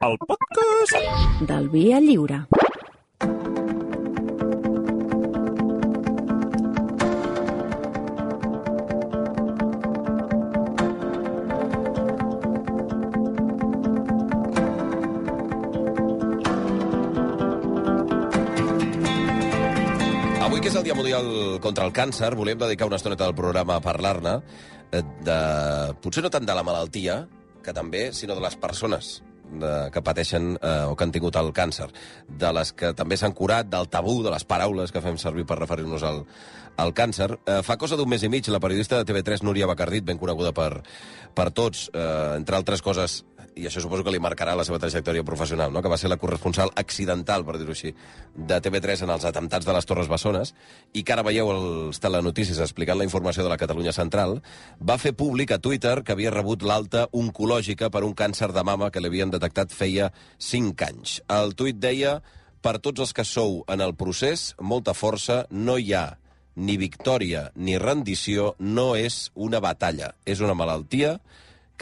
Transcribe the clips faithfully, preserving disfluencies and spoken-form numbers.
el podcast del Via Lliure. Avui, que és el Dia Mundial contra el Càncer, volíem dedicar una estoneta del programa a parlar-ne, de, potser no tant de la malaltia, que també, sinó de les persones de, que pateixen eh, o que han tingut el càncer, de les que també s'han curat, del tabú, de les paraules que fem servir per referir-nos al, al càncer. Eh, fa cosa d'un mes i mig, la periodista de T V tres, Núria Bacardit, ben coneguda per, per tots, eh, entre altres coses, i això suposo que li marcarà la seva trajectòria professional, no? Que va ser la corresponsal accidental, per dir-ho així, de T V tres en els atemptats de les Torres Bessones, i que ara veieu els telenotícies explicant la informació de la Catalunya Central, va fer públic a Twitter que havia rebut l'alta oncològica per un càncer de mama que li havien detectat feia cinc anys. El tuit deia: per tots els que sou en el procés, molta força, no hi ha ni victòria ni rendició, no és una batalla, és una malaltia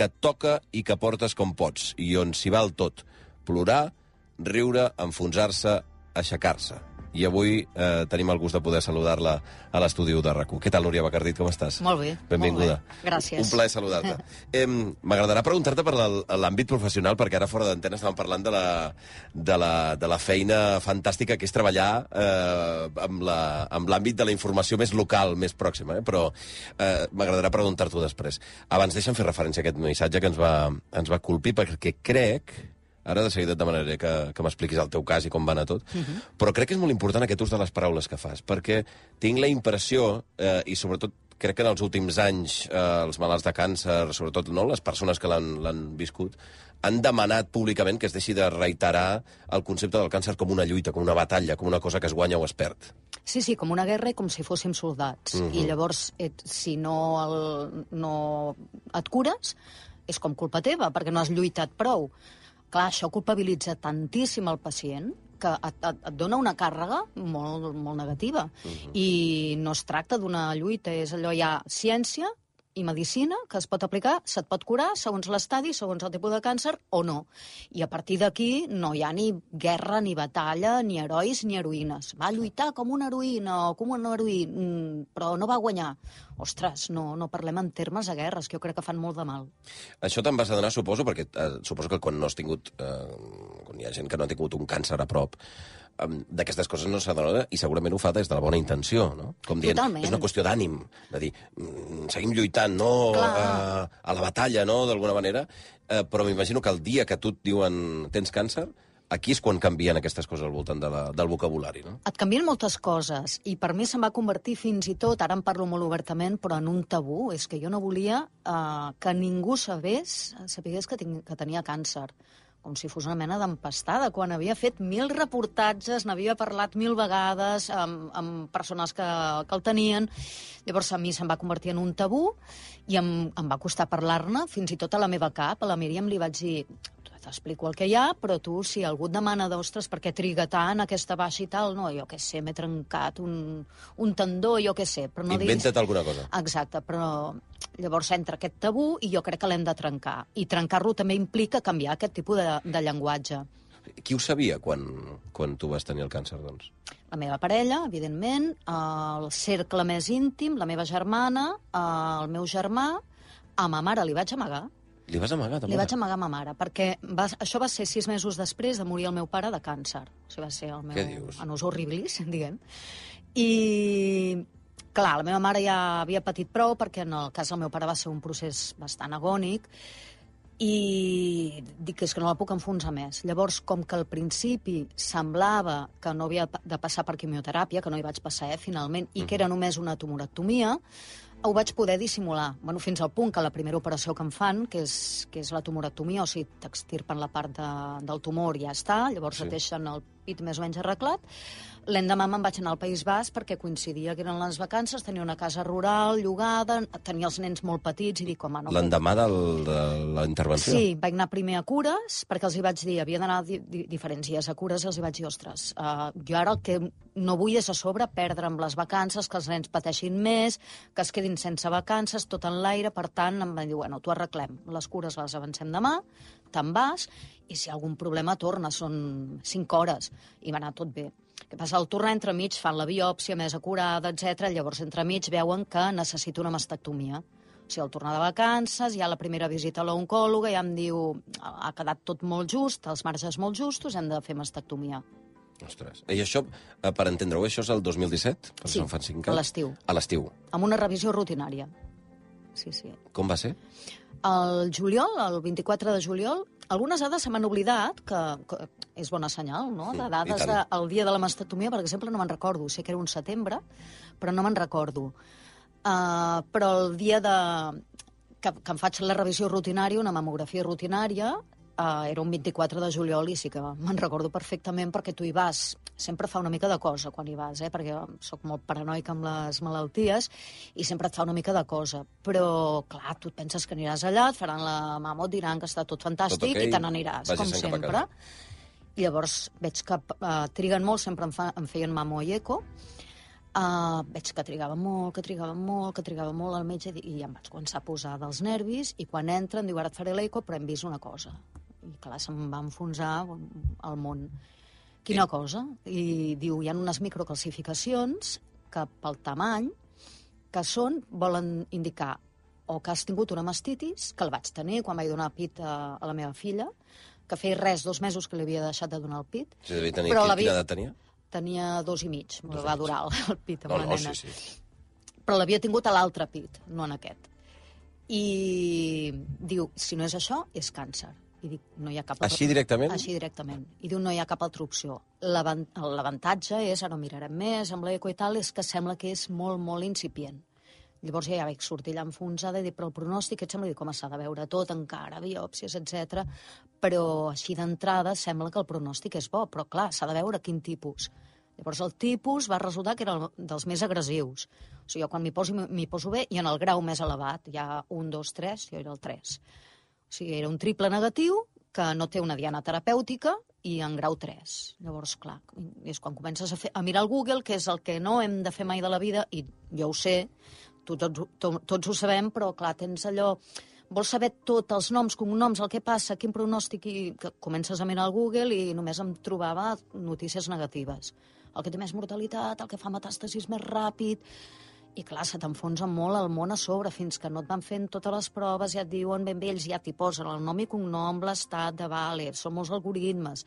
que et toca i que portes com pots, i on s'hi val tot. Plorar, riure, enfonsar-se, aixecar-se. I avui eh, tenim el gust de poder saludar-la a l'estudi de RAC u. Què tal, Núria Bacardit, com estàs? Molt bé. Benvinguda. Molt bé. Gràcies. Un plaer saludar-te. eh, M'agradarà preguntar-te per l'àmbit professional, perquè ara fora d'antena estàvem parlant de la, de, la, de la feina fantàstica que és treballar eh, amb l'àmbit de la informació més local, més pròxima, eh? Però eh, m'agradarà preguntar-t'ho després. Abans deixa'm fer referència a aquest missatge que ens va, ens va colpir, perquè crec... Ara de seguida et demanaré que, que m'expliquis el teu cas i com va anar tot, uh-huh. Però crec que és molt important aquest ús de les paraules que fas, perquè tinc la impressió, eh, i sobretot crec que en els últims anys eh, els malalts de càncer, sobretot no, les persones que l'han viscut, han demanat públicament que es deixi de reiterar el concepte del càncer com una lluita, com una batalla, com una cosa que es guanya o es perd. Sí, sí, com una guerra i com si fóssim soldats. Uh-huh. I llavors, et, si no, el, no et cures, és com culpa teva, perquè no has lluitat prou. Clar, això culpabilitza tantíssim el pacient que et, et, et dona una càrrega molt, molt negativa. Uh-huh. I no es tracta d'una lluita, és allò, hi ha ciència i medicina que es pot aplicar, se't pot curar segons l'estadi, segons el tipus de càncer o no. I a partir d'aquí no hi ha ni guerra, ni batalla, ni herois, ni heroïnes. Va lluitar com una heroïna o com un heroí, però no va guanyar. Ostres, no, no parlem en termes de guerres, que jo crec que fan molt de mal. Això te'n vas adonar, suposo, perquè eh, suposo que quan no has tingut... Eh, quan hi ha gent que no ha tingut un càncer a prop, eh, d'aquestes coses no s'adona, i segurament ho fa des de la bona intenció, no? Com dient, totalment. És una qüestió d'ànim, de dir, mm, seguim lluitant, no? A, a la batalla, no?, d'alguna manera. Eh, però m'imagino que el dia que tu et diuen tens càncer, aquí és quan canvien aquestes coses al voltant de la, del vocabulari, no? Et canvien moltes coses, i per mi se'n va convertir fins i tot, ara en parlo molt obertament, però en un tabú. És que jo no volia eh, que ningú sabés, sapigués que, tinc, que tenia càncer. Com si fos una mena d'empastada, quan havia fet mil reportatges, n'havia parlat mil vegades amb, amb persones que, que el tenien. Llavors a mi se'm va convertir en un tabú i em, em va costar parlar-ne, fins i tot a la meva cap. A la Míriam li vaig dir... T'explico el que hi ha, però tu, si algú et demana d'ostres, per què triga tant aquesta baixa i tal, no, jo què sé, m'he trencat un, un tendó, jo què sé. Però no Inventa't diguis... alguna cosa. Exacte, però llavors entra aquest tabú i jo crec que l'hem de trencar. I trencar-lo també implica canviar aquest tipus de, de llenguatge. Qui ho sabia quan, quan tu vas tenir el càncer, doncs? La meva parella, evidentment, el cercle més íntim, la meva germana, el meu germà, a ma mare li vaig amagar. Li vas amagar, també? Li vaig amagar a ma mare, perquè va, això va ser sis mesos després de morir el meu pare de càncer. O sigui, va ser el meu... Què dius? Anus horribilis, diguem. I, clar, la meva mare ja havia patit prou, perquè en el cas del meu pare va ser un procés bastant agònic, i dic que és que no la puc enfonsar més. Llavors, com que al principi semblava que no havia de passar per quimioteràpia, que no hi vaig passar, eh, finalment, i que era només una tumorectomia, ho vaig poder dissimular. Bueno, fins al punt que la primera operació que em fan, que és, que és la tumorectomia, o sigui, t'extirpen la part de, del tumor i ja està, llavors sí. Et deixen el pit més o menys arreglat. L'endemà me'n vaig anar al País Basc perquè coincidia que eren les vacances, tenia una casa rural llogada, tenia els nens molt petits i dic, home, no... L'endemà de la intervenció? Sí, vaig anar primer a cures, perquè els hi vaig dir, havia d'anar di di diferents dies a cures, i els hi vaig dir, ostres, uh, jo ara el que no vull és a sobre perdre amb les vacances, que els nens pateixin més, que es quedin sense vacances, tot en l'aire, per tant, em van dir, bueno, t'ho arreglem, les cures les avancem demà, te'n vas, i si hi ha algun problema torna, són cinc hores, i va anar tot bé. Què passa? Al tornar entremig fan la biòpsia més acurada, etcètera. Llavors entremig veuen que necessito una mastectomia. O sigui, al tornar de vacances, hi ha la primera visita a l'oncòloga, ja em diu, ha quedat tot molt just, els marges molt justos, hem de fer mastectomia. Ostres. I això, per entendre-ho, això és el dos mil disset? Sí, fan cinc a l'estiu. A l'estiu. Amb una revisió rutinària. Sí, sí. Com va ser? El juliol, el vint-i-quatre de juliol, algunes dades se m'han oblidat, que, que és bona senyal, no? De dades del dia de la mastectomia, per exemple, no me'n recordo. Sé que era un setembre, però no me'n recordo. Uh, però el dia de... que, que em faig la revisió rutinària, una mamografia rutinària, uh, era un vint-i-quatre de juliol i sí que me'n recordo perfectament perquè tu hi vas. Sempre fa una mica de cosa quan hi vas, eh? Perquè sóc molt paranoica amb les malalties i sempre et fa una mica de cosa. Però, clar, tu et penses que aniràs allà, et faran la mamo, et diran que està tot fantàstic tot okay, i te n'aniràs, com sempre. I llavors veig que uh, triguen molt, sempre em, fa, em feien mamo i eco. Uh, veig que trigava molt, que trigava molt, que trigava molt al metge i ja em vaig començar a posar dels nervis i quan entra em diu, ara et faré l'eco, però hem vist una cosa. I clar, se'm va enfonsar el món. Quina sí. cosa? I diu, hi ha unes microcalcificacions que pel tamany que són, volen indicar o que has tingut una mastitis, que el vaig tenir quan vaig donar pit a, a la meva filla, que feia res, dos mesos que li havia deixat de donar el pit. Sí, devia tenir, però quina edat tenia? Tenia dos i mig, me va durar el, el pit amb no, la no, nena. Sí, sí. Però l'havia tingut a l'altre pit, no en aquest. I diu, si no és això, és càncer. I dic, no hi ha cap... Així directament? Així directament. I diu, no hi ha cap altra opció. L'avantatge és, ara ho mirarem més, amb l'eco i tal, és que sembla que és molt, molt incipient. Llavors ja vaig sortir allà enfonsada i dic, però el pronòstic, et sembla? Dic, com s'ha de veure tot, encara, biòpsies, etcètera. Però així d'entrada sembla que el pronòstic és bo, però clar, s'ha de veure quin tipus. Llavors el tipus va resultar que era el dels més agressius. O sigui, jo quan m'hi poso, m'hi poso bé, i en el grau més elevat, hi ha un, dos, tres, jo era el tres. O sigui, era un triple negatiu que no té una diana terapèutica i en grau tres. Llavors, clar, és quan comences a, fer, a mirar el Google, que és el que no hem de fer mai de la vida, i jo ho sé, tu, tots, to, tots ho sabem, però clar, tens allò... Vols saber tots els noms, cognoms, el que passa, quin pronòstic, i que comences a mirar al Google i només em trobava notícies negatives. El que té més mortalitat, el que fa metàstasis més ràpid... I clar, se t'enfonsa molt el món a sobre, fins que no et van fent totes les proves, ja et diuen ben bé, ells ja t'hi posen el nom i cognom, l'estat de vale, són molts algoritmes.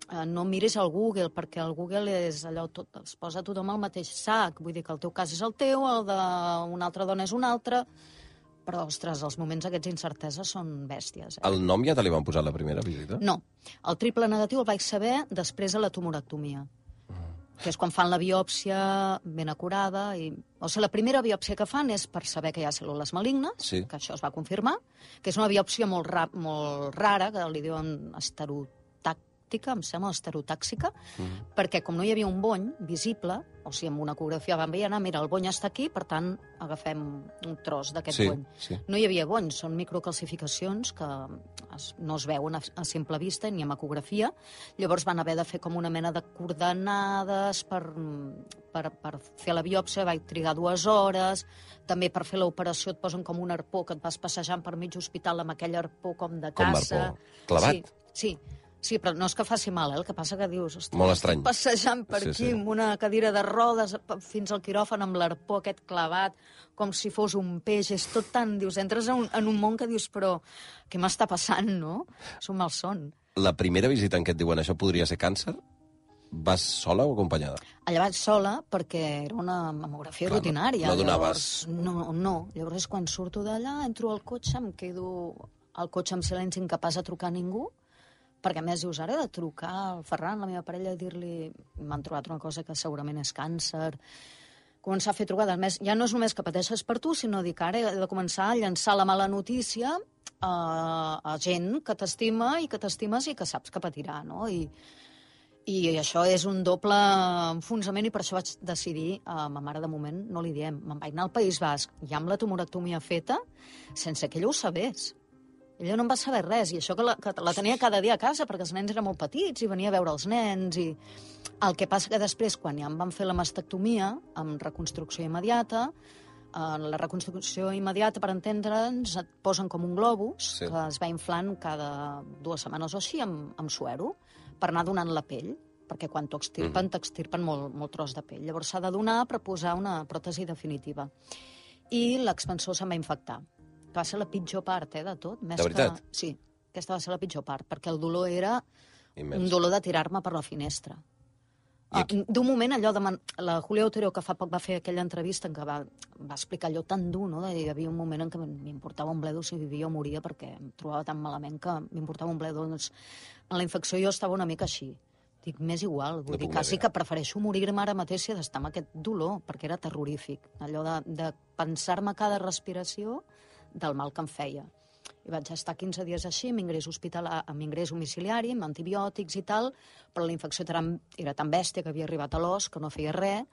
Eh, no miris al Google, perquè el Google és allò, tot, es posa tothom al mateix sac. Vull dir que el teu cas és el teu, el d'una altra dona és un altre, però, ostres, els moments aquests d'incertesa són bèsties. Eh? El nom ja te li van posar a la primera visita? No. El triple negatiu el vaig saber després de la tumorectomia, que és quan fan la biòpsia ben acurada. I... O sigui, la primera biòpsia que fan és per saber que hi ha cèl·lules malignes, sí. que això es va confirmar, que és una biòpsia molt, ra molt rara, que li diuen esterotàctica, em sembla, esterotàxica, mm. perquè com no hi havia un bony visible, o sigui, amb una ecografia van veient, mira, el bony està aquí, per tant, agafem un tros d'aquest sí, bony. Sí. No hi havia bony, són microcalcificacions que es, no es veuen a, a simple vista ni amb ecografia. Llavors van haver de fer com una mena de coordenades per, per, per fer la biòpsia, vaig trigar dues hores, també per fer l'operació et posen com un arpó que et vas passejant per mig hospital amb aquell arpó com de caça. Com arpó? Clavat? Sí, sí. Sí, però no és que faci mal, eh? El que passa que dius... Ostres, molt estrany. Estic passejant per sí, aquí sí. amb una cadira de rodes fins al quiròfan amb l'arpó aquest clavat, com si fos un peix. És tot tan... Dius, entres en un, en un món que dius, però què m'està passant, no? És un malson. La primera visita en què et diuen això podria ser càncer, vas sola o acompanyada? Allà vaig sola perquè era una mamografia Clar, rutinària. No donaves... Llavors, no, no. Llavors, quan surto d'allà, entro al cotxe, em quedo al cotxe amb silenci, incapaç de trucar a ningú, perquè a més dius, ara he de trucar al Ferran, la meva parella, i dir-li... M'han trobat una cosa que segurament és càncer. Començar a fer trucades. Més, ja no és només que pateixes per tu, sinó dir que ara he de començar a llançar la mala notícia a, a gent que t'estima i que t'estimes i que saps que patirà, no? I, I això és un doble enfonsament i per això vaig decidir, a ma mare de moment no li diem, me'n vaig anar al País Basc, ja amb la tumorectomia feta, sense que ella ho sabés. Ella no en va saber res, i això que la, que la tenia cada dia a casa, perquè els nens eren molt petits i venia a veure els nens. I el que passa que després, quan ja em van fer la mastectomia, amb reconstrucció immediata, en la reconstrucció immediata, per entendre'ns, et posen com un globus Sí. que es va inflant cada dues setmanes o així amb, amb suero per anar donant la pell, perquè quan t'ho extirpen, Mhm. t'extirpen molt, molt tros de pell. Llavors s'ha de donar per posar una pròtesi definitiva. I l'expansor se'm va infectar. Que va ser la pitjor part, eh, de tot. Més De veritat? Que... Sí, aquesta va ser la pitjor part, perquè el dolor era Immens. un dolor de tirar-me per la finestra. I Ah, aquí- D'un moment, allò de... Man... La Julia Otero, que fa poc va fer aquella entrevista en què va, va explicar allò tan dur, no? De, hi havia un moment en què m'importava un bledo si vivia o moria, perquè em trobava tan malament que m'importava un bledo. Doncs, en la infecció jo estava una mica així. Dic, m'és igual, vull No dir, puc quasi imaginar. que prefereixo morir-me ara mateix si he d'estar amb aquest dolor, perquè era terrorífic. Allò de, de pensar-me cada respiració del mal que em feia. I vaig estar quinze dies així, amb ingrés, hospital, amb ingrés domiciliari, amb antibiòtics i tal, però la infecció era, era tan bèstia que havia arribat a l'os, que no feia res,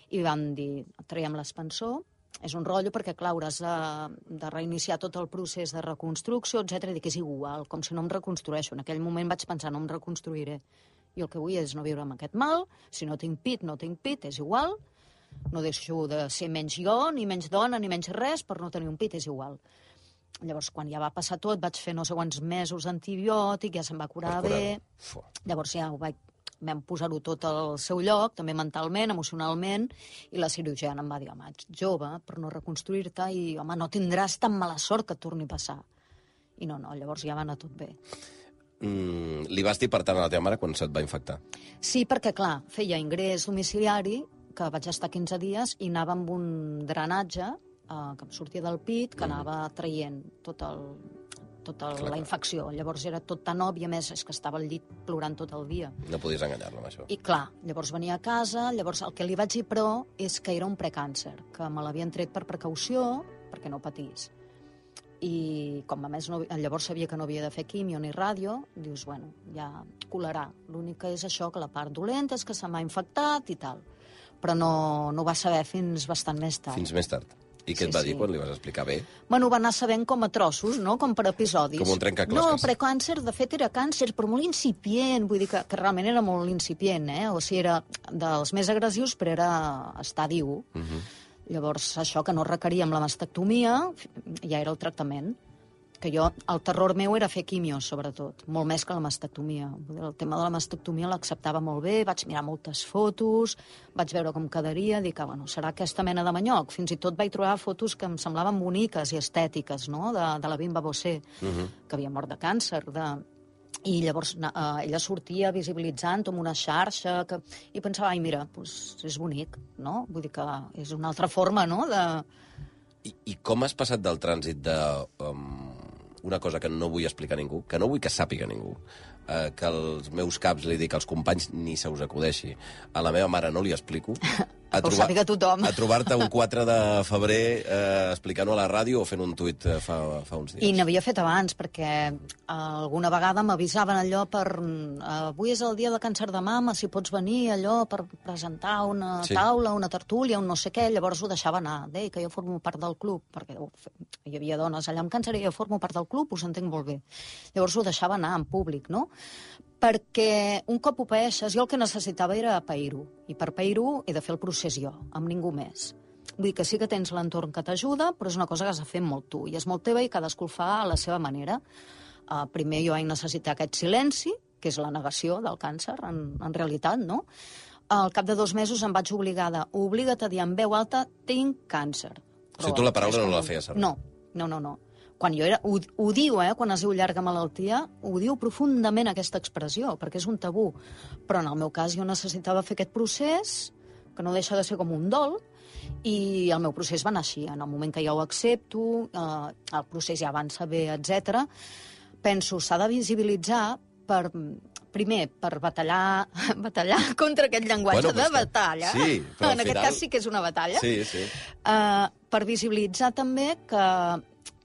i van dir, traiem l'expansor. És un rotllo perquè, clar, hauràs de, de reiniciar tot el procés de reconstrucció, etcètera. I dic, és igual, com si no em reconstrueixo. En aquell moment vaig pensar, no em reconstruiré. Jo el que vull és no viure amb aquest mal, si no tinc pit, no tinc pit, és igual, no deixo de ser menys jo, ni menys dona, ni menys res, per no tenir un pit, és igual. Llavors, quan ja va passar tot, vaig fer no sé quants mesos d'antibiòtic, ja se'm va curar Per curar. bé, Fu. llavors ja ho vaig, vam posar-ho tot al seu lloc, també mentalment, emocionalment, i la cirurgiana em va dir, home, ets jove per no reconstruir-te i, home, no tindràs tan mala sort que et torni a passar. I no, no, llavors ja va anar tot bé. Mm, li vas dir, per tant, a la teva mare quan se't va infectar? Sí, perquè, clar, feia ingrés domiciliari, que vaig estar quinze dies, i anava amb un drenatge eh, que em sortia del pit, que anava traient tot el, tota Clar, la clar. infecció. Llavors era tot tan òbvi, a més, és que estava al llit plorant tot el dia. No podies enganyar-la amb això. I clar, llavors venia a casa, llavors el que li vaig dir, però, és que era un precàncer, que me l'havien tret per precaució, perquè no patís. I com a més no, llavors sabia que no havia de fer quimio ni ràdio, dius, bueno, ja colarà. L'únic que és això, que la part dolenta és que se m'ha infectat i tal. Però no, no ho va saber fins bastant més tard. Fins més tard. I què Sí, et va sí. dir quan li vas explicar bé? Bueno, ho va anar sabent com a trossos, no? Com per episodis. Com un trencaclosques. No, precàncer, de fet, era càncer, però molt incipient. Vull dir que, que realment era molt incipient, eh? O sigui, era dels més agressius, però era estadi u. Uh -huh. Llavors, això que no requeríem la mastectomia, ja era el tractament. Que jo, el terror meu era fer quimio, sobretot, molt més que la mastectomia. Vull dir, el tema de la mastectomia l'acceptava molt bé, vaig mirar moltes fotos, vaig veure com quedaria, dic, ah, bueno, serà aquesta mena de manyoc. Fins i tot vaig trobar fotos que em semblaven boniques i estètiques, no?, de, de la Bimba Bosé, Uh -huh. que havia mort de càncer, de... I llavors eh, ella sortia visibilitzant amb una xarxa, que... i pensava, ai, mira, doncs és bonic, no? Vull dir que és una altra forma, no?, de... I, I com has passat del trànsit de um, una cosa que no vull explicar a ningú, que no vull que sàpiga ningú, eh, que als meus caps li dic als companys ni se us acudeixi, a la meva mare no li explico, a Que ho sàpiga tothom. a trobar-te un quatre de febrer eh, explicant-ho a la ràdio o fent un tuit eh, fa, fa uns dies. I n'havia fet abans, perquè eh, alguna vegada m'avisaven allò per... Eh, avui és el dia de càncer de mama, si pots venir allò per presentar una Sí. taula, una tertúlia, un no sé què, llavors ho deixava anar. Deia que jo formo part del club, perquè oh, hi havia dones allà amb càncer i jo formo part del club, us entenc molt bé. Llavors ho deixava anar en públic, no? Perquè un cop ho paeixes, jo el que necessitava era pair-ho. I per pair-ho he de fer el procés jo, amb ningú més. Vull dir que sí que tens l'entorn que t'ajuda, però és una cosa que has de fer molt tu, i és molt teva i cadascú el fa a la seva manera. Uh, primer jo vaig necessitar aquest silenci, que és la negació del càncer, en, en realitat, no? Al cap de dos mesos em vaig obligada, obliga't a dir en veu alta, tinc càncer. O sigui, tu la paraula no la feies servir. No, no, no, no. Quan jo era, ho, ho diu, eh, quan es diu llarga malaltia, ho diu profundament aquesta expressió, perquè és un tabú. Però en el meu cas jo necessitava fer aquest procés, que no deixa de ser com un dol, i el meu procés va anar així. En el moment que ja ho accepto, eh, el procés ja avança bé, etcètera. Penso, s'ha de visibilitzar per, primer, per batallar, batallar contra aquest llenguatge Bueno, però de és que- batalla. sí, però al en aquest final- cas sí que és una batalla. Sí, sí. Uh, per visibilitzar també que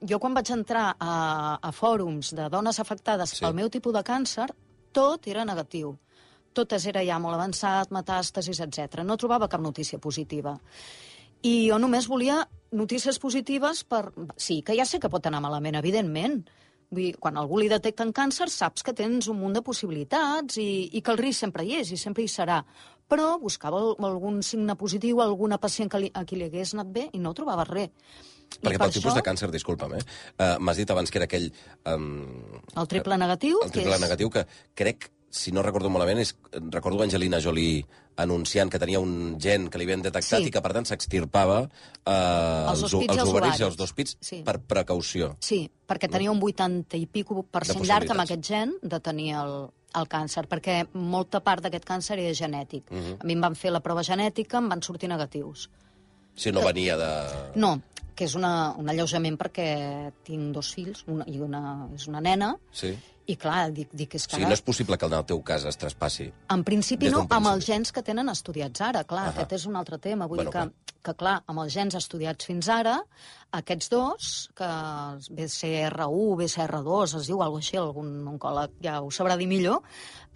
jo quan vaig entrar a, a fòrums de dones afectades Sí. pel meu tipus de càncer, tot era negatiu. Totes era ja molt avançat, metàstasis, etcètera. No trobava cap notícia positiva. I jo només volia notícies positives per... Sí, que ja sé que pot anar malament, evidentment. Vull dir, quan algú li detecten càncer, saps que tens un munt de possibilitats i, i que el risc sempre hi és i sempre hi serà. Però buscava algun signe positiu, alguna pacient que li, a qui li hagués anat bé i no trobava res. Perquè pel tipus de càncer, disculpa'm, eh? Uh, m'has dit abans que era aquell... Um, el triple negatiu. El triple negatiu, que crec, si no recordo malament, és, recordo Angelina Jolie anunciant que tenia un gen que li havien detectat sí. i que, per tant, s'extirpava uh, els, els, els ovaris i els dos pits sí. per precaució. Sí, perquè tenia un vuitanta i pico per cent llarg amb aquest gen de tenir el, el càncer, perquè molta part d'aquest càncer és genètic. Uh -huh. A mi em van fer la prova genètica, em van sortir negatius. Si no que... venia de... No, que és una, un alleujament perquè tinc dos fills, una, i una és una nena, sí. i clar, dic, dic és que... O sigui, no és possible que en el teu cas es traspassi? En principi no, amb els gens que tenen estudiats ara, clar, uh -huh. aquest és un altre tema. Vull bueno, dir que, que, clar, amb els gens estudiats fins ara, aquests dos, que B C R u, B C R dos, es diu alguna cosa així, algun oncòleg ja ho sabrà dir millor,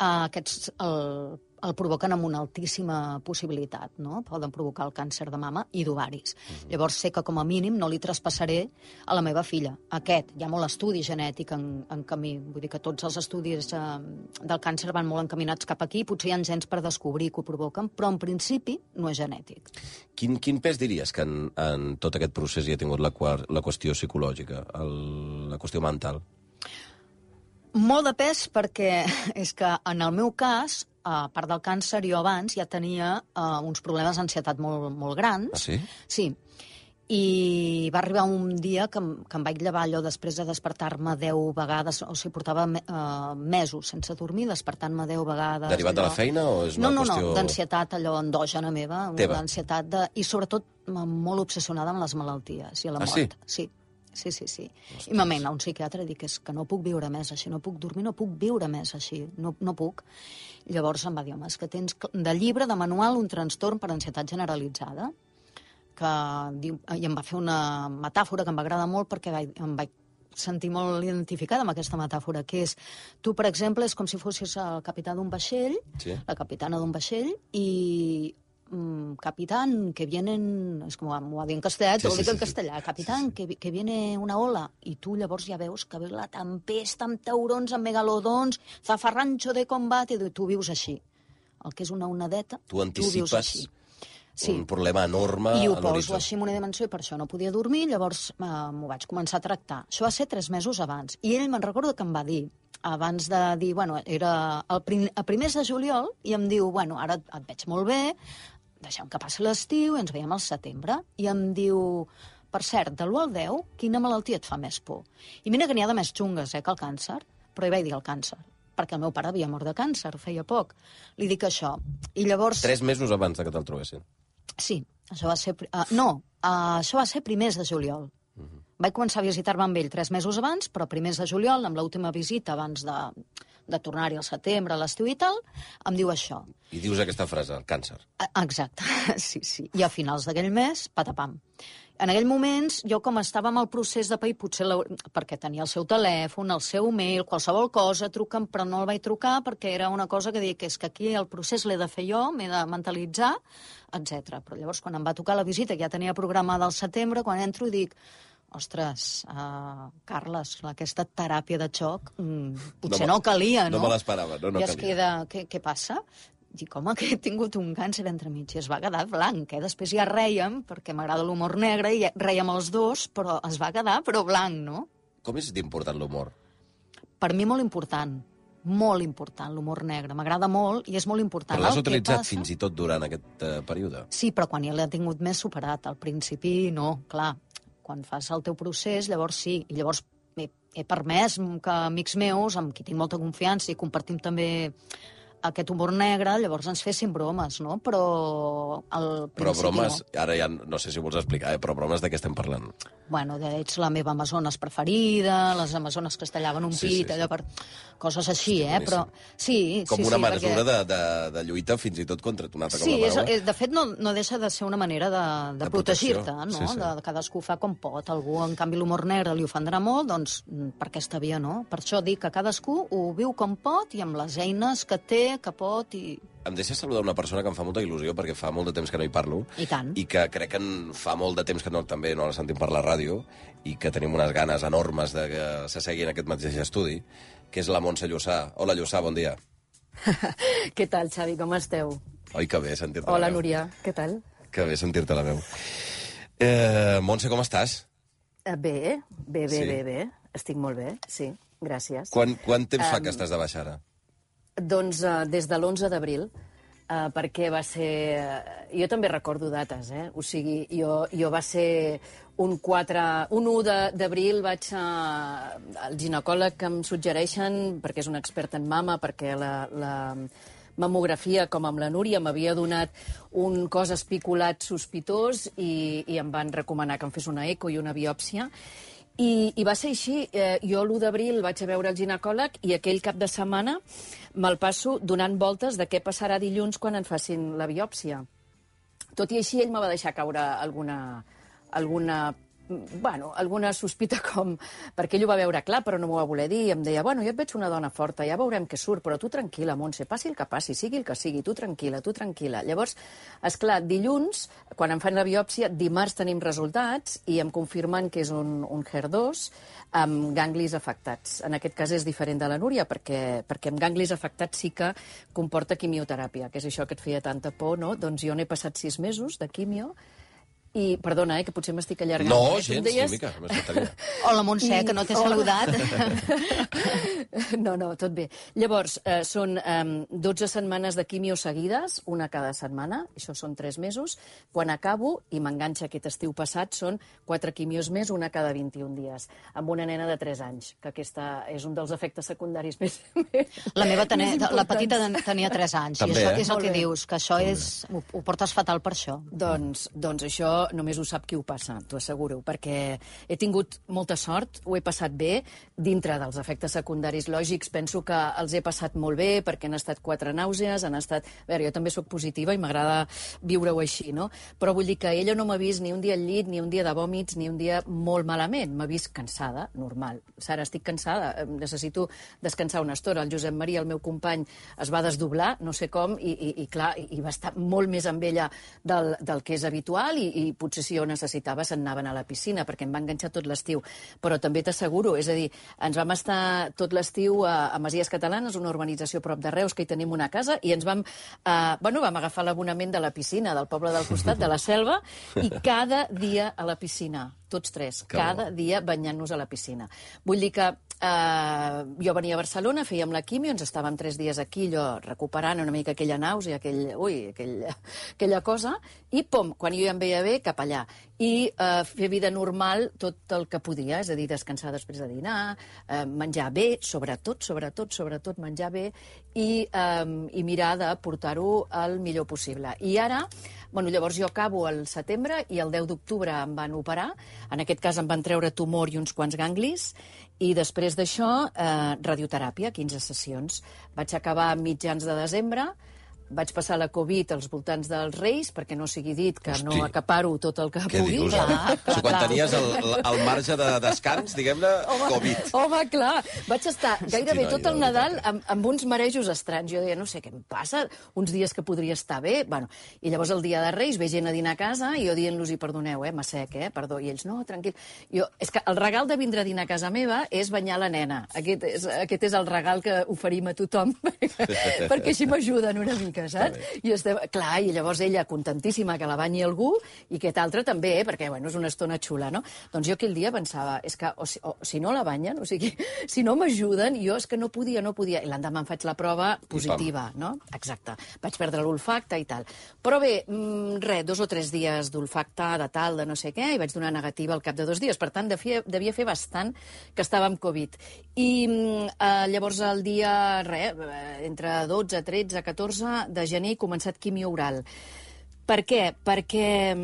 uh, aquests... El, el provoquen amb una altíssima possibilitat, no? Poden provocar el càncer de mama i d'ovaris. Uh-huh. Llavors sé que com a mínim no li traspassaré a la meva filla. Aquest, hi ha molt estudi genètic en, en camí. Vull dir que tots els estudis eh, del càncer van molt encaminats cap aquí, potser hi ha gens per descobrir que ho provoquen, però en principi no és genètic. Quin, quin pes diries que en, en tot aquest procés hi ha tingut la, la qüestió psicològica, el, la qüestió mental? Molt de pes, perquè és que en el meu cas, a part del càncer, jo abans ja tenia uh, uns problemes d'ansietat molt, molt grans. Ah, sí? Sí. I va arribar un dia que, que em vaig llevar allò després de despertar-me deu vegades, o sigui, portava uh, mesos sense dormir, despertant-me deu vegades. Derivat allò... de la feina o és una no, no, qüestió... No, no, d'ansietat, allò endògena meva, Teva. d'ansietat, de... i sobretot molt obsessionada amb les malalties i a la ah, mort. Sí? Sí. Sí, sí, sí. Ostres. I m'amena a un psiquiatre i dic, és que no puc viure més així, no puc dormir, no puc viure més així, no, no puc. Llavors em va dir, home, és que tens de llibre, de manual, un trastorn per ansietat generalitzada, que diu, i em va fer una metàfora que em va agradar molt perquè vaig, em vaig sentir molt identificada amb aquesta metàfora, que és, tu, per exemple, és com si fossis el capità d'un vaixell, sí. la capitana d'un vaixell, i... capitán, que vienen... És com m'ho va dir en castellà, sí, t'ho sí, dic sí, en castellà. Sí. Capitán, sí, sí. Que, que viene una ola. I tu llavors ja veus que ve la tempesta amb taurons, amb megalodons, zafarrancho de combat, i tu vius així. El que és una onadeta, tu anticipes tu vius així. Sí. Un problema enorme I ho a l'horitzó. poso així en una dimensió i per això no podia dormir, llavors eh, m'ho vaig començar a tractar. Això va ser tres mesos abans. I ell me'n recordo que em va dir, abans de dir, bueno, era el prim, a primers de juliol, i em diu, bueno, ara et veig molt bé, deixem que passi l'estiu i ens veiem al setembre. I em diu, per cert, de l'u al deu, quina malaltia et fa més por? I mira que n'hi ha de més xungues, eh, que el càncer, però hi vaig dir el càncer, perquè el meu pare havia mort de càncer, feia poc. Li dic això. I llavors... Tres mesos abans de que te'l trobessin. Sí, això va ser... Uh, no, uh, això va ser primers de juliol. Uh -huh. Vaig començar a visitar-me amb ell tres mesos abans, però primers de juliol, amb l'última visita abans de, de tornar-hi al setembre, a l'estiu i tal, em diu això. I dius aquesta frase, el càncer. Exacte, sí, sí. I a finals d'aquell mes, patapam. En aquell moments, jo com estava amb el procés de pair, potser la... perquè tenia el seu telèfon, el seu mail, qualsevol cosa, truca'm, però no el vaig trucar perquè era una cosa que dic, és que aquí el procés l'he de fer jo, m'he de mentalitzar, etcètera. Però llavors, quan em va tocar la visita, que ja tenia programada al setembre, quan entro i dic, ostres, uh, Carles, aquesta teràpia de xoc, mm, potser no, no calia, no? No me l'esperava, no, no I calia. es queda, què, què passa? Dic, home, que he tingut un càncer entremig, i es va quedar blanc, eh? Després ja rèiem, perquè m'agrada l'humor negre, i rèiem els dos, però es va quedar, però blanc, no? Com és d'important l'humor? Per mi molt important, molt important, l'humor negre. M'agrada molt i és molt important. Però l'has utilitzat fins i tot durant aquest uh, període? Sí, però quan ja l'he tingut més superat. Al principi, no, clar. Quan fas el teu procés, llavors sí. I llavors he, he permès que amics meus, amb qui tinc molta confiança i compartim també aquest humor negre, llavors ens fessin bromes, no? Però al principi Però bromes, no. ara ja no sé si vols explicar, eh? Però bromes de què estem parlant? Bueno, de, ets la meva amazones preferida, les amazones que es tallaven un sí, pit, sí, allò sí. per... Coses així, Hòstia, eh? Però... Sí, Com sí, una sí, mesura perquè... de, de, de lluita fins i tot contra una altra Sí, com la és, paraula. és, de fet no, no deixa de ser una manera de, de, De protegir-te, no? sí, sí. De, de cadascú fa com pot. Algú, en canvi, l'humor negre li ofendrà molt, doncs per aquesta via no. Per això dic que cadascú ho viu com pot i amb les eines que té que pot i... Em deixes saludar una persona que em fa molta il·lusió, perquè fa molt de temps que no hi parlo. I tant. I que crec que en fa molt de temps que no, també no la sentim per la ràdio, i que tenim unes ganes enormes de que se segui en aquest mateix estudi, que és la Montse Llussà. Hola, Llussà, bon dia. Què tal, Xavi, com esteu? Oi, que bé sentir-te la veu. Hola, Núria, què tal? Que bé sentir-te la veu. Eh, Montse, com estàs? Uh, bé, bé, bé, Sí? bé, bé. Estic molt bé, sí, gràcies. Quan, quant temps fa Em, que estàs de baixa ara? Doncs uh, des de l'onze d'abril, uh, perquè va ser... Uh, jo també recordo dates, eh? O sigui, jo, jo va ser un, quatre, un u d'abril vaig a, al ginecòleg que em suggereixen, perquè és un expert en mama, perquè la, la mamografia, com amb la Núria, m'havia donat un cos espiculat sospitós i, i em van recomanar que em fes una eco i una biòpsia. I, I va ser així. Eh, jo l'u d'abril vaig a veure el ginecòleg i aquell cap de setmana me'l passo donant voltes de què passarà dilluns quan en facin la biòpsia. Tot i així, ell me va deixar caure alguna, alguna, bueno, alguna sospita com... Perquè ell ho va veure clar, però no m'ho va voler dir. I em deia, bueno, jo et veig una dona forta, ja veurem què surt, però tu tranquil·la, Montse, passi el que passi, sigui el que sigui, tu tranquil·la, tu tranquil·la. Llavors, esclar, dilluns, quan em fan la biòpsia, dimarts tenim resultats i em confirmen que és un, un H E R dos amb ganglis afectats. En aquest cas és diferent de la Núria, perquè, perquè amb ganglis afectats sí que comporta quimioteràpia, que és això que et feia tanta por, no? Doncs jo n'he passat sis mesos de quimio. I, perdona, eh, que potser m'estic allargant. No, eh? gens, deies... sí, mica, m'estic Hola, Montse, I... que no t'he saludat. No, no, tot bé. Llavors, eh, són eh, dotze setmanes de quimio seguides, una cada setmana, això són tres mesos. Quan acabo, i m'enganxa aquest estiu passat, són quatre quimios més, una cada vint-i-un dies, amb una nena de tres anys, que aquesta és un dels efectes secundaris més, La meva tenia, més la petita importants. tenia tres anys, També, i això eh? és el Molt que bé. dius, que això és... Ho, ho portes fatal per això. Doncs, doncs això només ho sap qui ho passa, t'ho asseguro, perquè he tingut molta sort, ho he passat bé, dintre dels efectes secundaris lògics penso que els he passat molt bé, perquè han estat quatre nàusees, han estat... A veure, jo també sóc positiva i m'agrada viure-ho així, no? Però vull dir que ella no m'ha vist ni un dia al llit, ni un dia de vòmits, ni un dia molt malament. M'ha vist cansada, normal. Sara, estic cansada, necessito descansar una estona. El Josep Maria, el meu company, es va desdoblar, no sé com, i, i, i clar, i va estar molt més amb ella del, del que és habitual, i, i potser si jo necessitava se'n anaven a la piscina, perquè em va enganxar tot l'estiu. Però també t'asseguro, és a dir, ens vam estar tot l'estiu a, a Masies Catalanes, una urbanització prop de Reus, que hi tenim una casa, i ens vam, eh, bueno, vam agafar l'abonament de la piscina del poble del costat, de la Selva, i cada dia a la piscina, tots tres, Que cada bo. dia banyant-nos a la piscina. Vull dir que eh, jo venia a Barcelona, fèiem la quimio, ens estàvem tres dies aquí, allò, recuperant una mica aquella nàusea, aquell, ui, aquell, aquella cosa, i pom, quan jo ja em veia bé, cap allà. I eh, fer vida normal tot el que podia, és a dir, descansar després de dinar, eh, menjar bé, sobretot, sobretot, sobretot menjar bé, i, eh, i mirar de portar-ho el millor possible. I ara, bueno, llavors jo acabo al setembre i el deu d'octubre em van operar. En aquest cas em van treure tumor i uns quants ganglis, i després d'això, eh, radioteràpia, quinze sessions. Vaig acabar a mitjans de desembre, vaig passar la Covid als voltants dels Reis, perquè no sigui dit que Hosti. no acaparo tot el que Què pugui. dius, clar, ara? clar, Quan clar. tenies el, el marge de descans, diguem-ne, Covid. Home, clar, vaig estar gairebé noi, tot el de Nadal veritat. amb, amb uns marejos estranys. Jo deia, no sé què em passa, uns dies que podria estar bé. Bueno, i llavors el dia de Reis ve gent a dinar a casa i jo dient-los, i perdoneu, eh, m'assec, eh, perdó. I ells, no, tranquil. Jo, és que el regal de vindre a dinar a casa meva és banyar la nena. Aquest és, aquest és el regal que oferim a tothom, perquè així m'ajuden una mica, saps? I estem, clar, i llavors ella contentíssima que la banyi algú, i aquest altre també, eh, perquè bueno, és una estona xula, no? Doncs jo aquell dia pensava, és que o si, o, si no la banyen, o sigui, si no m'ajuden, jo és que no podia, no podia. I l'endemà em faig la prova positiva, no? Exacte. Vaig perdre l'olfacte i tal. Però bé, mmm, res, dos o tres dies d'olfacte, de tal, de no sé què, i vaig donar negativa al cap de dos dies. Per tant, devia, devia fer bastant que estava amb Covid. I eh, llavors el dia, res, entre dotze, tretze, catorze de gener he començat quimio oral. Per què? Perquè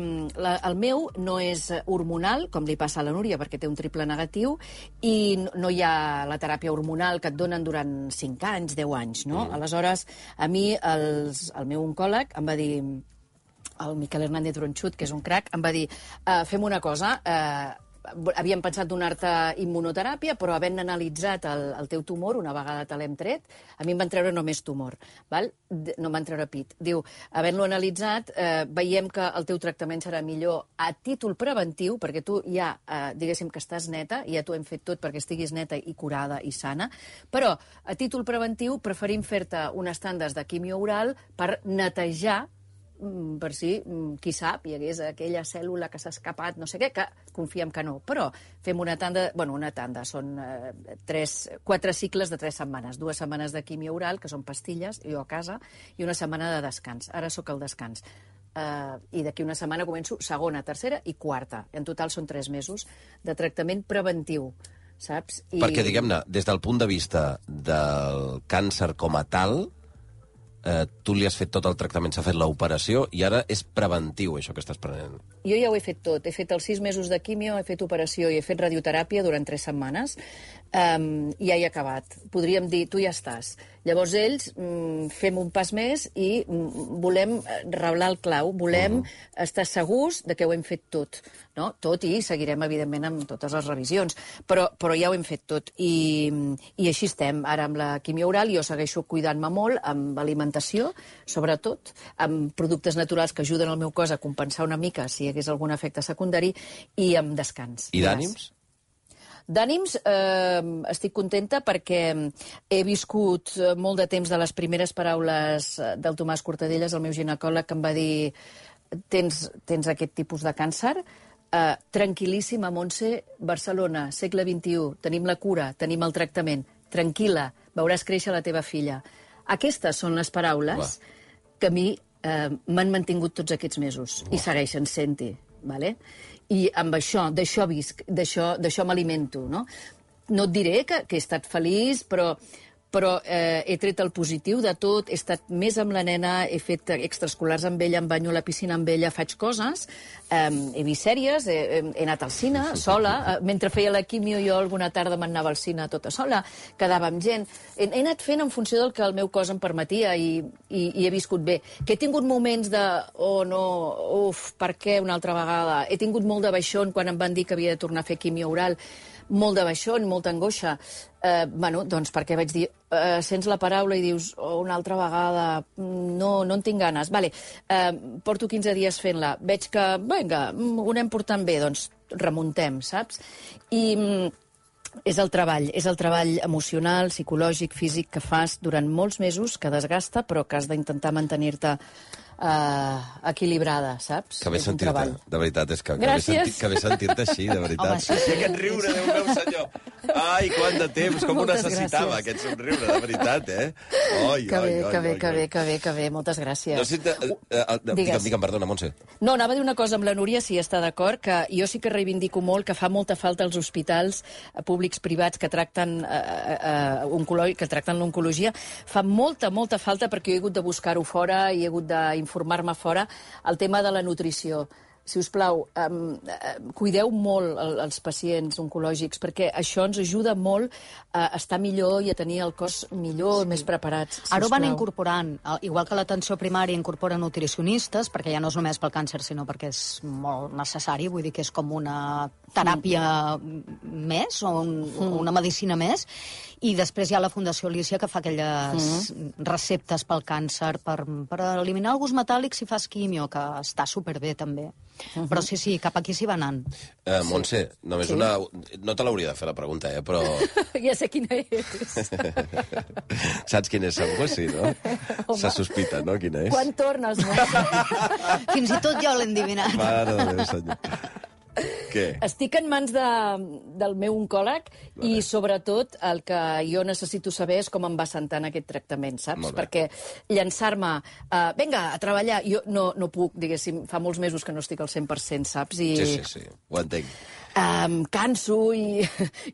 la, el meu no és hormonal, com li passa a la Núria, perquè té un triple negatiu, i no, no hi ha la teràpia hormonal que et donen durant cinc anys, deu anys, no? Mm. Aleshores, a mi, els, el meu oncòleg em va dir, el Miquel Hernández Bronchut, que és un crac, em va dir, uh, fem una cosa, uh, havíem pensat donar-te immunoteràpia, però havent analitzat el, el teu tumor, una vegada te l'hem tret, a mi em van treure només tumor, val? No em van treure pit. Diu, havent-lo analitzat, eh, veiem que el teu tractament serà millor a títol preventiu, perquè tu ja, eh, diguéssim que estàs neta, i ja t'ho hem fet tot perquè estiguis neta i curada i sana, però a títol preventiu preferim fer-te unes tandes de quimio oral per netejar, per si, qui sap, hi hagués aquella cèl·lula que s'ha escapat, no sé què, que confiem que no. Però fem una tanda, bueno, una tanda, són eh, tres, quatre cicles de tres setmanes. Dues setmanes de quimio oral, que són pastilles, jo a casa, i una setmana de descans. Ara sóc al descans. Uh, I d'aquí una setmana començo segona, tercera i quarta. En total són tres mesos de tractament preventiu, saps? I... Perquè, diguem-ne, des del punt de vista del càncer com a tal, eh, tu li has fet tot el tractament, s'ha fet l'operació, i ara és preventiu, això que estàs prenent. Jo ja ho he fet tot. He fet els sis mesos de quimio, he fet operació i he fet radioteràpia durant tres setmanes, um, i ja he acabat. Podríem dir, tu ja estàs. Llavors ells mm, fem un pas més i mm, volem reblar el clau, volem uh-huh. estar segurs de que ho hem fet tot. No? Tot, i seguirem, evidentment, amb totes les revisions. Però, però ja ho hem fet tot. I, i així estem. Ara amb la quimio oral jo segueixo cuidant-me molt, amb alimentació, sobretot, amb productes naturals que ajuden el meu cos a compensar una mica si hi hagués algun efecte secundari, i amb descans. I d'ànims? D'ànims, eh, estic contenta perquè he viscut molt de temps de les primeres paraules del Tomàs Cortadelles, el meu ginecòleg, que em va dir tens, tens aquest tipus de càncer, eh, tranquil·líssima, Montse, Barcelona, segle vint-i-u, tenim la cura, tenim el tractament, tranquil·la, veuràs créixer la teva filla. Aquestes són les paraules Uah. que a mi eh, m'han mantingut tots aquests mesos Uah. i segueixen sent-hi, vale? I amb això, d'això visc, d'això m'alimento, no? No et diré que, que he estat feliç, però, però eh, he tret el positiu de tot, he estat més amb la nena, he fet extraescolars amb ella, em banyo a la piscina amb ella, faig coses, eh, he vist sèries, he, he anat al cine sola, eh, mentre feia la quimio jo alguna tarda m'anava al cine tota sola, quedava amb gent, he, he anat fent en funció del que el meu cos em permetia i, i, i he viscut bé. Que he tingut moments de, oh no, uf, per què una altra vegada? He tingut molt de baixón quan em van dir que havia de tornar a fer quimio oral, molt de baixón, molta angoixa. Eh, bueno, doncs perquè vaig dir, eh, sents la paraula i dius, oh, una altra vegada, no, no en tinc ganes. Vale, eh, porto quinze dies fent-la, veig que, vinga, ho anem portant bé, doncs remuntem, saps? I és el treball, és el treball emocional, psicològic, físic que fas durant molts mesos, que desgasta, però que has d'intentar mantenir-te Uh, equilibrada, saps? Que bé sentir-te, de veritat, és que, Gràcies. que bé sentir-te així, de veritat. Home, sí, sí. I aquest riure, Déu meu senyor. Ai, quant de temps, com ho necessitava, aquest somriure, de veritat, eh? Oi, que bé, oi, oi, que bé, oi, que oi. bé, que bé, que bé, moltes gràcies. No sé, uh, uh, uh, digue'm, digue'm, perdona, Montse. No, anava a dir una cosa amb la Núria, si està d'acord, que jo sí que reivindico molt que fa molta falta als hospitals uh, públics privats que tracten uh, uh, oncologia, que tracten l'oncologia. Fa molta, molta falta, perquè jo he hagut de buscar-ho fora i he hagut d'informar-me fora, el tema de la nutrició. Si us plau, um, uh, cuideu molt el, els pacients oncològics, perquè això ens ajuda molt a estar millor i a tenir el cos millor, sí. més preparats. Si Ara ho van incorporant, igual que l'atenció primària incorpora nutricionistes, perquè ja no és només pel càncer, sinó perquè és molt necessari, vull dir que és com una teràpia mm. més, o un, mm. una medicina més, i després hi ha la Fundació Alícia que fa aquelles mm. receptes pel càncer per, per eliminar el gust metàl·lic si fas quimio, que està superbé també. Uh-huh. Però sí, sí, cap aquí s'hi va anant. Uh, Montse, només sí. una... No te l'hauria de fer la pregunta, eh, però... Ja sé quina és. Saps quina és, segur que sí, no? Home. Se sospita, no, quina és? Quan tornes, Montse? Fins i tot jo l'he endivinat. Mare de Déu, senyor. Què? Estic en mans de, del meu oncòleg vale. I, sobretot, el que jo necessito saber és com em va sentant aquest tractament, saps? Perquè llançar-me, uh, vinga, a treballar, jo no, no puc, diguéssim, fa molts mesos que no estic al cent per cent, saps? I, sí, sí, sí, ho entenc. Em canso i,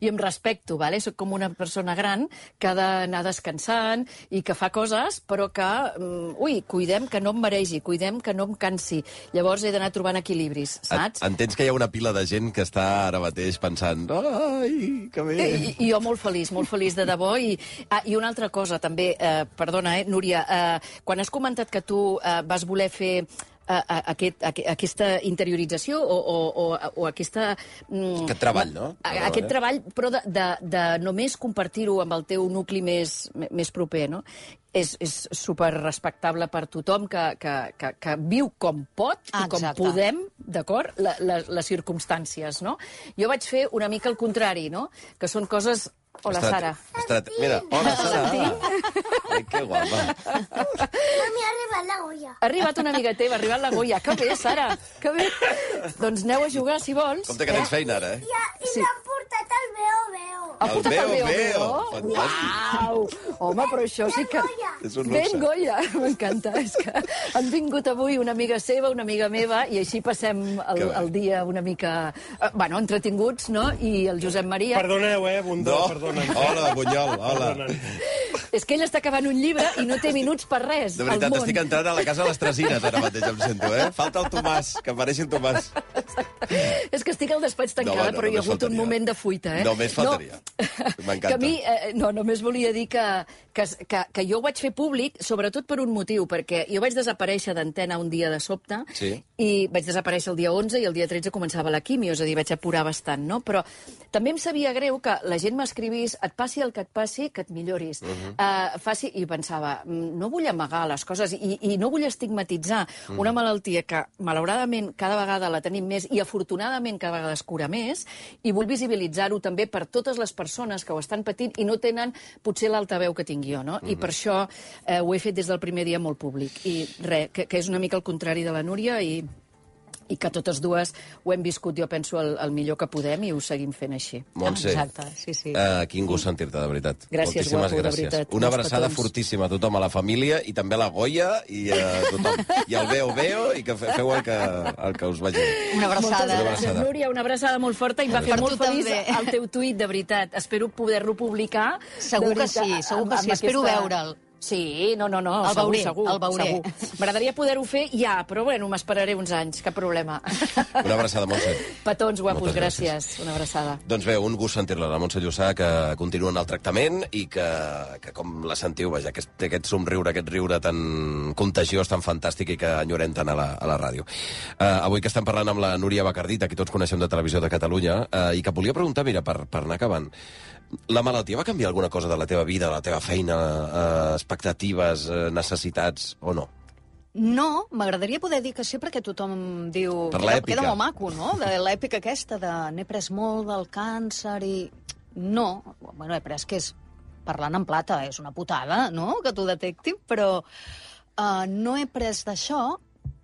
i em respecto, vale? Soc com una persona gran que ha d'anar descansant i que fa coses, però que, um, ui, cuidem que no em maregi, cuidem que no em cansi. Llavors he d'anar trobant equilibris, saps? Entens que hi ha una pila de gent que està ara mateix pensant ai, que bé... I, i jo molt feliç, molt feliç de debò. I, ah, i una altra cosa, també, eh, perdona, eh, Núria, eh, quan has comentat que tu eh, vas voler fer a, a, aquest, a, aquesta interiorització o, o, o, o aquesta... Mm, aquest treball, no? A, aquest treball, però de, de, de només compartir-ho amb el teu nucli més, més proper, no? És, és super respectable per tothom que, que, que, que viu com pot i com Exacte. podem, d'acord, la, la, les circumstàncies, no? Jo vaig fer una mica el contrari, no? Que són coses... Hola, Estrat... Sara. Estrat... Mira, hola, Sara. Ai, que guapa. Mami, ha arribat la Goya. Ha arribat una amiga teva, ha arribat la Goya. Que bé, Sara, que bé. Doncs aneu a jugar, si vols. Compte que tens feina, ara, eh? I, i Sí. m'han portat el Veo Veo. Ha El portat Veo Veo Veo. Veo. Fantàstic. Uau! Home, però això sí que... Goya. És un Ben luxe. Goya, m'encanta. És que han vingut avui una amiga seva, una amiga meva, i així passem el, Que bé. el dia una mica... Eh, bueno, entretinguts, no? I el Josep Maria... Perdoneu, eh, Bundó, No, perdona'm. hola, Bunyol, hola. És que ell està acabant un llibre i no té minuts per res. De veritat, al món. estic entrant a la casa de les Tresines ara mateix, em sento, eh? Falta el Tomàs, que apareixi el Tomàs. És que estic al despatx tancada, home, no, però hi ha només hagut un faltaria. moment de fuita, eh? Només faltaria. M'encanta. Que a mi, eh, no, només volia dir que, que, que, que jo ho vaig fer públic, sobretot per un motiu, perquè jo vaig desaparèixer d'antena un dia de sobte, Sí. i vaig desaparèixer el dia onze i el dia tretze començava la quimio, és a dir, vaig apurar bastant, no? Però també em sabia greu que la gent m'escrivís, et passi el que et passi, que et milloris. Uh -huh. uh, faci... I pensava, no vull amagar les coses i, i no vull estigmatitzar uh -huh. una malaltia que, malauradament, cada vegada la tenim més i, afortunadament, cada vegada es cura més, i vull visibilitzar-ho també per totes les persones que ho estan patint i no tenen potser l'altaveu que tinc jo, no? Uh -huh. I per això eh, ho he fet des del primer dia molt públic. I res, que, que és una mica el contrari de la Núria i i que totes dues ho hem viscut, jo penso, el, el millor que podem i ho seguim fent així. Montse, Exacte, sí, sí. Uh, quin gust sentir-te, de veritat. Gràcies, Moltíssimes guapo, de gràcies. veritat. Una Molts abraçada petons. fortíssima a tothom, a la família, i també a la Goya, i a tothom. I al Veo Veo, i que fe- feu el que, el que us vagi bé. Una Moltes abraçada. Una gràcies, abraçada. Núria, una abraçada molt forta i em va fer Per molt tu feliç també. el teu tuit, de veritat. Espero poder-lo publicar. Segur de que veritat, sí, segur que amb- sí. amb Espero aquesta- veure'l. Sí, no, no, no, El segur, veuré, segur. el veuré. segur. M'agradaria poder-ho fer ja, però bueno, m'esperaré uns anys, cap problema. Una abraçada, Montse. Petons guapos, Moltes gràcies. gràcies. Una abraçada. Doncs bé, un gust sentir-la, la Montse Llussà, que continua en el tractament i que, que com la sentiu, vaja, que té aquest somriure, aquest riure tan contagiós, tan fantàstic i que enyorem tant a la, a la ràdio. Uh, avui que estem parlant amb la Núria Bacardit, que tots coneixem de Televisió de Catalunya, uh, i que volia preguntar, mira, per, per anar acabant, la malaltia va canviar alguna cosa de la teva vida, de la teva feina, uh, expectatives, uh, necessitats, o no? No, m'agradaria poder dir que sí, perquè tothom diu... Per queda- l'èpica. Queda molt maco, no?, de l'èpica aquesta de n'he pres molt del càncer i... No, bueno, he pres que és, parlant en plata, és una putada, no?, que t'ho detectin, però uh, no he pres d'això,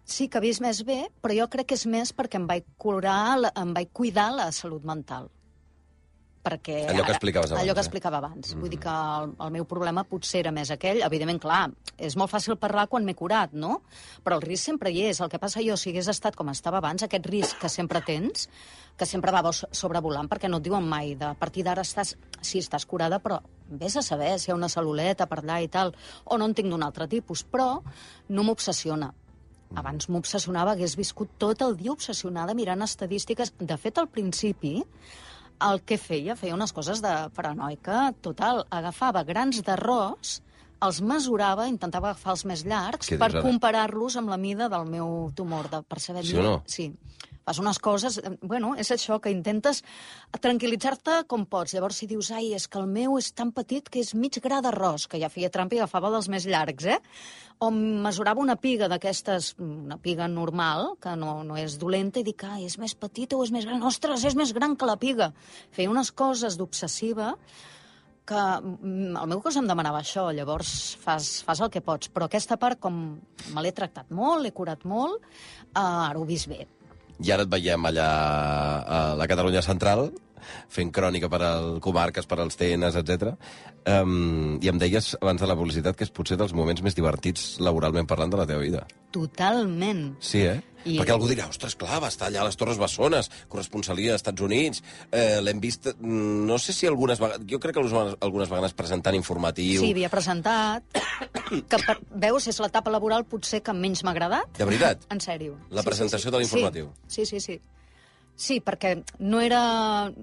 sí que he vist més bé, però jo crec que és més perquè em vaig curar, la- em vaig cuidar la salut mental. Perquè Allò que explicaves abans, allò que eh? explicava abans. Mm. Vull dir que el, el meu problema potser era més aquell. Evidentment, clar, és molt fàcil parlar quan m'he curat, no? Però el risc sempre hi és. El que passa jo, si hagués estat com estava abans, aquest risc que sempre tens, que sempre va sobrevolant, perquè no et diuen mai, de a partir d'ara estàs... Sí, estàs curada, però vés a saber si hi ha una cel·luleta per allà i tal, o no en tinc d'un altre tipus, però no m'obsessiona. Abans m'obsessionava, hagués viscut tot el dia obsessionada mirant estadístiques. De fet, al principi, el que feia, feia unes coses de paranoica total. Agafava grans d'arròs, els mesurava, intentava agafar els més llargs Què dius per ara? comparar-los amb la mida del meu tumor, de, per saber... Sí o no? Sí. Fas unes coses... eh, Bueno, és això, que intentes tranquil·litzar-te com pots. Llavors, si dius, ai, és que el meu és tan petit que és mig gra d'arròs, que ja feia trampa i agafava dels més llargs, eh? O mesurava una piga d'aquestes, una piga normal, que no, no és dolenta, i dic, ai, és més petita o és més gran? Ostres, és més gran que la piga. Feia unes coses d'obsessiva que mm, el meu cos em demanava això, llavors fas, fas el que pots. Però aquesta part, com me l'he tractat molt, l'he curat molt, eh, ara ho he vist bé. I ara et veiem allà a la Catalunya Central, fent crònica per al comarques, per als T Ns, etcètera. Um, I em deies abans de la publicitat que és potser dels moments més divertits laboralment parlant de la teva vida. Totalment. Sí, eh? I- Perquè algú dirà, ostres, clar, va estar allà a les Torres Bessones, corresponsalia als Estats Units, eh, l'hem vist, mm, no sé si algunes vegades, jo crec que algunes algunes vegades presentant informatiu. Sí, havia presentat, que per, veus, és l'etapa laboral potser que menys m'ha agradat. De veritat? En sèrio. La presentació de l'informatiu. Sí, sí, sí. sí. Sí, perquè no era,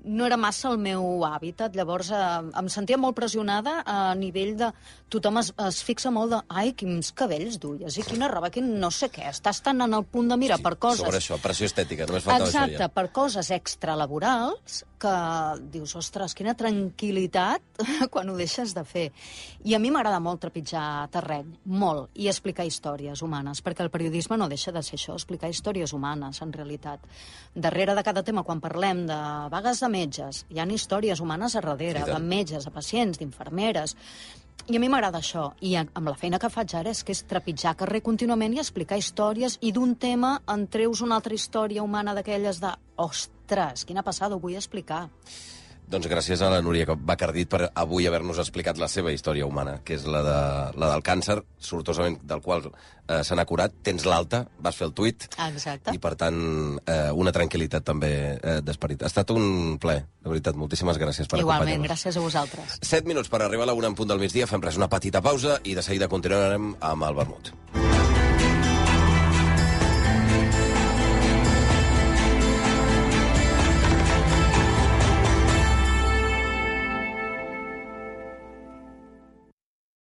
no era massa el meu hàbitat. Llavors eh, em sentia molt pressionada a nivell de... Tothom es, es fixa molt de... Ai, quins cabells duies i quina roba, quin no sé què. Estàs tan en el punt de mira Sí, per coses... sobre això, pressió estètica, només faltava Exacte, això ja. per coses extralaborals que dius, ostres, quina tranquil·litat quan ho deixes de fer. I a mi m'agrada molt trepitjar terreny, molt, i explicar històries humanes, perquè el periodisme no deixa de ser això, explicar històries humanes, en realitat. Darrere de cada tema, quan parlem de vagues de metges, hi ha històries humanes a darrere, de metges, de pacients, d'infermeres... I a mi m'agrada això, i amb la feina que faig ara és que és trepitjar carrer contínuament i explicar històries, i d'un tema en treus una altra història humana d'aquelles de ostres, quina passada, ho vull explicar. Doncs gràcies a la Núria Bacardit per avui haver-nos explicat la seva història humana, que és la, de, la del càncer, sortosament del qual eh, se n'ha curat. Tens l'alta, vas fer el tuit. Exacte. I, per tant, eh, una tranquil·litat també eh, d'esperit. Ha estat un plaer, de veritat. Moltíssimes gràcies per acompanyar-nos. Igualment, gràcies a vosaltres. Set minuts per arribar a la una en punt del migdia. Fem res, una petita pausa i de seguida continuarem amb el vermut.